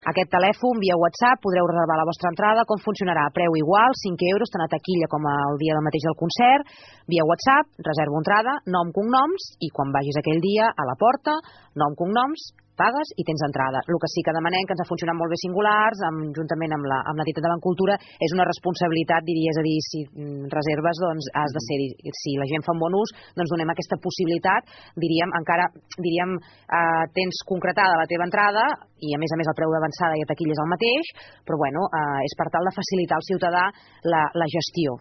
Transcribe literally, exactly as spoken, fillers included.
Aquest telèfon, via WhatsApp, podreu reservar la vostra entrada. Com funcionarà? A preu igual, cinc euros, tant a taquilla com el dia del mateix del concert. Via WhatsApp, reservo entrada, nom, cognoms, i quan vagis aquell dia a la porta, nom, cognoms, pagues i tens entrada. El que sí que demanem, que ens ha funcionat molt bé Singulars, amb, juntament amb la, amb l'entitat de Bancultura, és una responsabilitat, diria, és a dir, si reserves, doncs has de ser-hi. Si la gent fa un bon ús, doncs donem aquesta possibilitat, diríem, encara, diríem, eh, tens concretada la teva entrada, i a més a més el preu d'avançada i a taquilla és el mateix, però bueno, eh, és per tal de facilitar al ciutadà la, la gestió.